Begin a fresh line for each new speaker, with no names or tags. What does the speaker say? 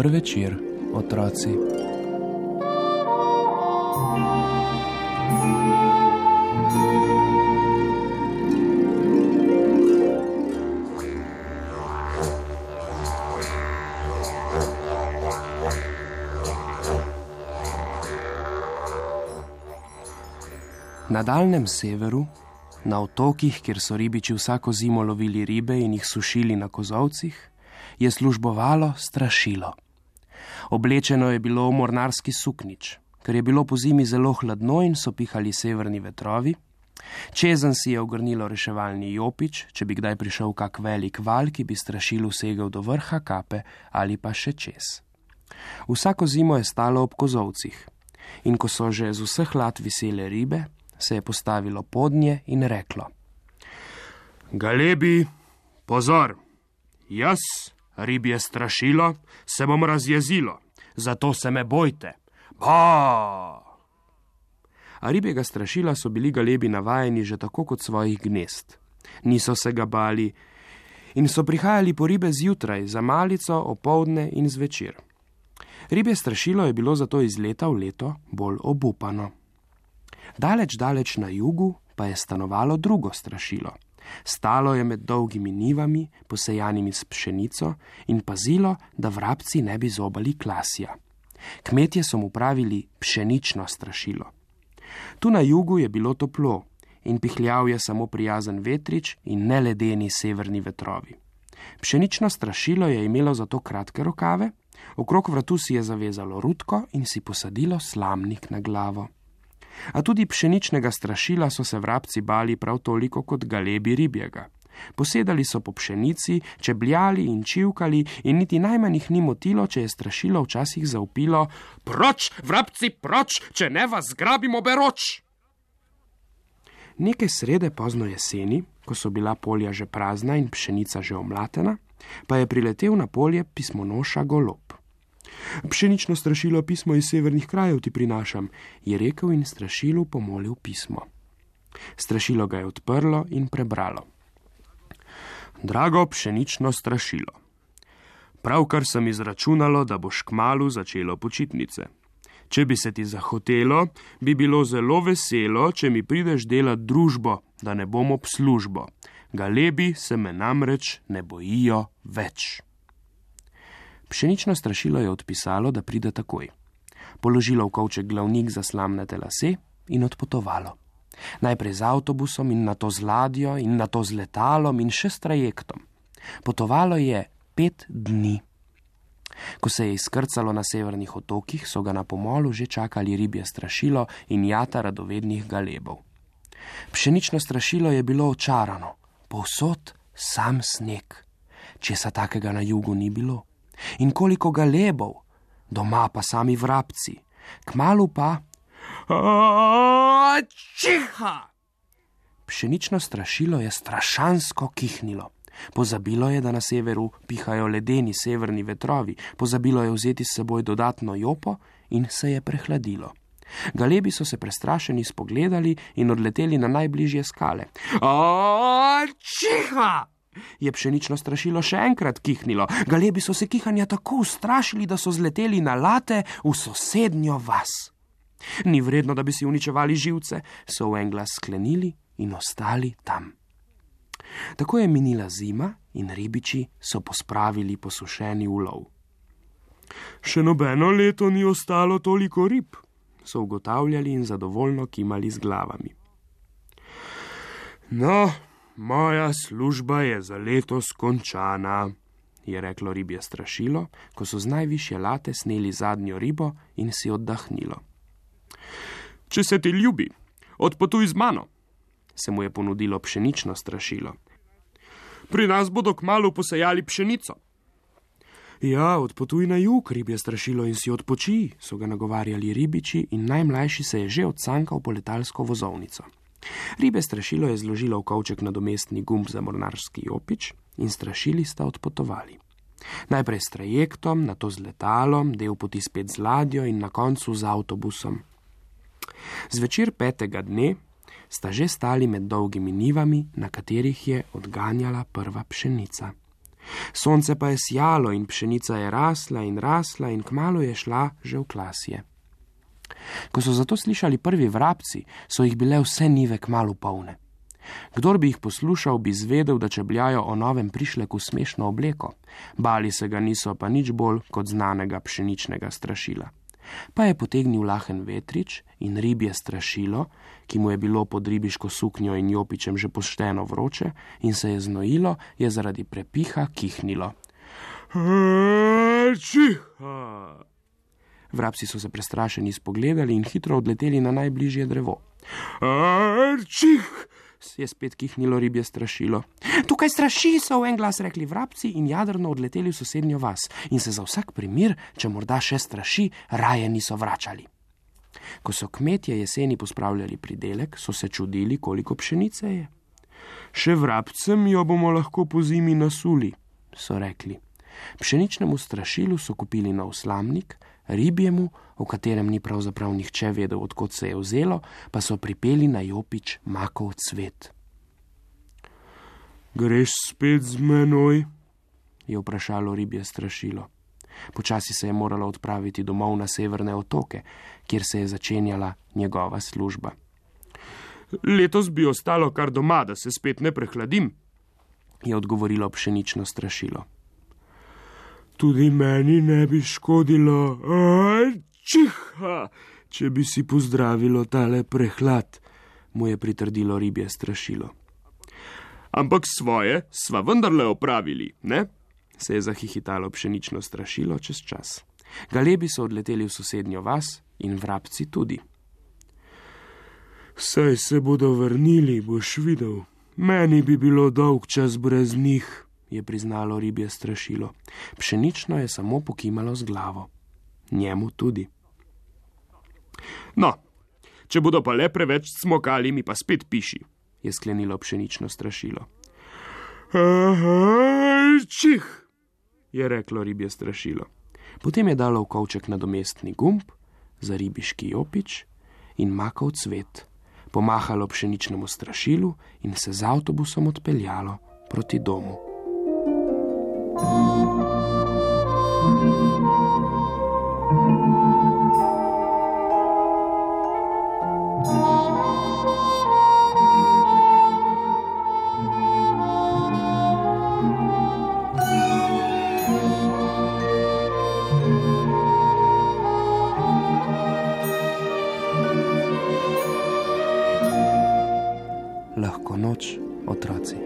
Dober večer, otroci. Na daljnem severu, na otokih, kjer so ribiči vsako zimo lovili ribe in jih sušili na kozolcih, je službovalo strašilo. Oblečeno je bilo v mornarski suknič, ker je bilo po zimi zelo hladno in so pihali severni vetrovi. Čezenj si je ogrnilo reševalni jopič, če bi kdaj prišel kak velik val, ki bi strašilu segel do vrha kape ali pa še čez. Vsako zimo je stalo ob kozolcih in ko so že z vseh lat visele ribe, se je postavilo podnje in reklo: Galebi, pozor, jaz, ribje strašilo, se bom razjezilo, zato se me bojte. Ba! A ribjega strašila so bili galebi navajeni že tako kot svojih gnezd. Niso se ga bali in so prihajali po ribe zjutraj, za malico, opoldne in zvečer. Ribje strašilo je bilo zato iz leta v leto bolj obupano. Daleč na jugu pa je stanovalo drugo strašilo. Stalo je med dolgimi nivami, posejanimi s pšenico, in pazilo, da vrabci ne bi zobali klasja. Kmetje so mu pravili pšenično strašilo. Tu na jugu je bilo toplo in pihljal je samo prijazen vetrič in ne ledeni severni vetrovi. Pšenično strašilo je imelo zato kratke rokave, okrog vratu si je zavezalo rutko in si posadilo slamnik na glavo. A tudi pšeničnega strašila so se vrabci bali prav toliko kot galebi ribjega. Posedali so po pšenici, čebljali in čivkali in niti najmanj jih ni motilo, če je strašilo včasih zavpilo: Proč, vrabci, proč, če ne vas zgrabimo beroč! Nekaj srede pozno jeseni, ko so bila polja že prazna in pšenica že omlatena, pa je priletel na polje pismonoša golob. Pšenično strašilo pismo iz severnih krajev ti prinašam, je rekel in strašilu pomolil pismo. Strašilo ga je odprlo in prebralo. Drago pšenično strašilo, pravkar sem izračunalo, da boš kmalu začelo počitnice. Če bi se ti zahotelo, bi bilo zelo veselo, če mi prideš delat družbo, da ne bom ob službo. Galebi se me namreč ne bojijo več. Pšenično strašilo je odpisalo, da pride takoj. Položilo v kovček glavnik za slamnate lase in odpotovalo. Najprej z avtobusom in nato z ladjo in nato z letalom in še s trajektom. Potovalo je 5 dni. Ko se je izkrcalo na severnih otokih, so ga na pomolu že čakali ribje strašilo in jata radovednih galebov. Pšenično strašilo je bilo očarano, povsod sam sneg. Česa takega na jugu ni bilo. In koliko galebov, doma pa sami vrabci, kmalu pa čiha! Pšenično strašilo je strašansko kihnilo. Pozabilo je, da na severu pihajo ledeni severni vetrovi, pozabilo je vzeti s seboj dodatno jopo in se je prehladilo. Galebi so se prestrašeni spogledali in odleteli na najbližje skale. Čiha! Je pšenično strašilo še enkrat kihnilo. Galebi so se kihanja tako ustrašili, da so zleteli na late v sosednjo vas. Ni vredno, da bi si uničevali živce, so v en glas sklenili in ostali tam. Tako je minila zima in ribiči so pospravili posušeni ulov. Še nobeno leto ni ostalo toliko rib, so ugotavljali in zadovoljno kimali z glavami. No, moja služba je za letos končana, je reklo ribje strašilo, ko so z najvišje late sneli zadnjo ribo in si oddahnilo. Če se ti ljubi, odpotuj z mano, se mu je ponudilo pšenično strašilo. Pri nas bodo kmalu posejali pšenico. Ja, odpotuj na jug, ribje strašilo, in si odpočij, so ga nagovarjali ribiči in najmlajši se je že odsankal po letalsko vozovnico. Ribje strašilo je zložilo v kovček nadomestni gumb za mornarski jopič in strašili sta odpotovali. Najprej s trajektom, nato z letalom, del poti spet z ladjo in na koncu z avtobusom. Zvečer 5. dne sta že stali med dolgimi nivami, na katerih je odganjala prva pšenica. Sonce pa je sijalo in pšenica je rasla in kmalu je šla že v klasje. Ko so zato slišali prvi vrabci, so jih bile vse njive kmalu polne. Kdor bi jih poslušal, bi zvedel, da čebljajo o novem prišleku smešno obleko. Bali se ga niso pa nič bolj kot znanega pšeničnega strašila. Pa je potegnil lahen vetrič in ribje strašilo, ki mu je bilo pod ribiško suknjo in jopičem že pošteno vroče in se je znojilo, je zaradi prepiha kihnilo. Čiha! Vrabci so se prestrašeni spogledali in hitro odleteli na najbližje drevo. Čih! Je spet kihnilo ribje strašilo. Tukaj straši, so v en glas rekli vrabci in jadrno odleteli v sosednjo vas in se za vsak primer, če morda še straši, raje niso vračali. Ko so kmetje jeseni pospravljali pridelek, so se čudili, koliko pšenice je. Še vrabcem jo bomo lahko pozimi nasuli, so rekli. Pšeničnemu strašilu so kupili nov slamnik, ribjemu, o katerem ni pravzaprav nihče vedel, odkot se je vzelo, pa so pripeli na jopič makov cvet. Greš spet z menoj? Je vprašalo ribje strašilo. Počasi se je moralo odpraviti domov na severne otoke, kjer se je začenjala njegova služba. Letos bi ostalo kar doma, da se spet ne prehladim, je odgovorilo pšenično strašilo. Tudi meni ne bi škodilo, čiha, če bi si pozdravilo tale prehlad, mu je pritrdilo ribje strašilo. Ampak svoje sva vendarle opravili, ne? Se je zahihitalo pšenično strašilo čez čas. Galebi so odleteli v sosednjo vas in vrabci tudi. Saj se bodo vrnili, boš videl. Meni bi bilo dolg čas brez njih, je priznalo ribje strašilo. Pšenično je samo pokimalo z glavo. Njemu tudi. No, če bodo pa le preveč cmokali, mi pa spet piši, je sklenilo pšenično strašilo. Čih, je reklo ribje strašilo. Potem je dalo v kovček nadomestni gumb za ribiški jopič in makov cvet, pomahalo pšeničnemu strašilu in se z avtobusom odpeljalo proti domu. Lahko noč, otroci.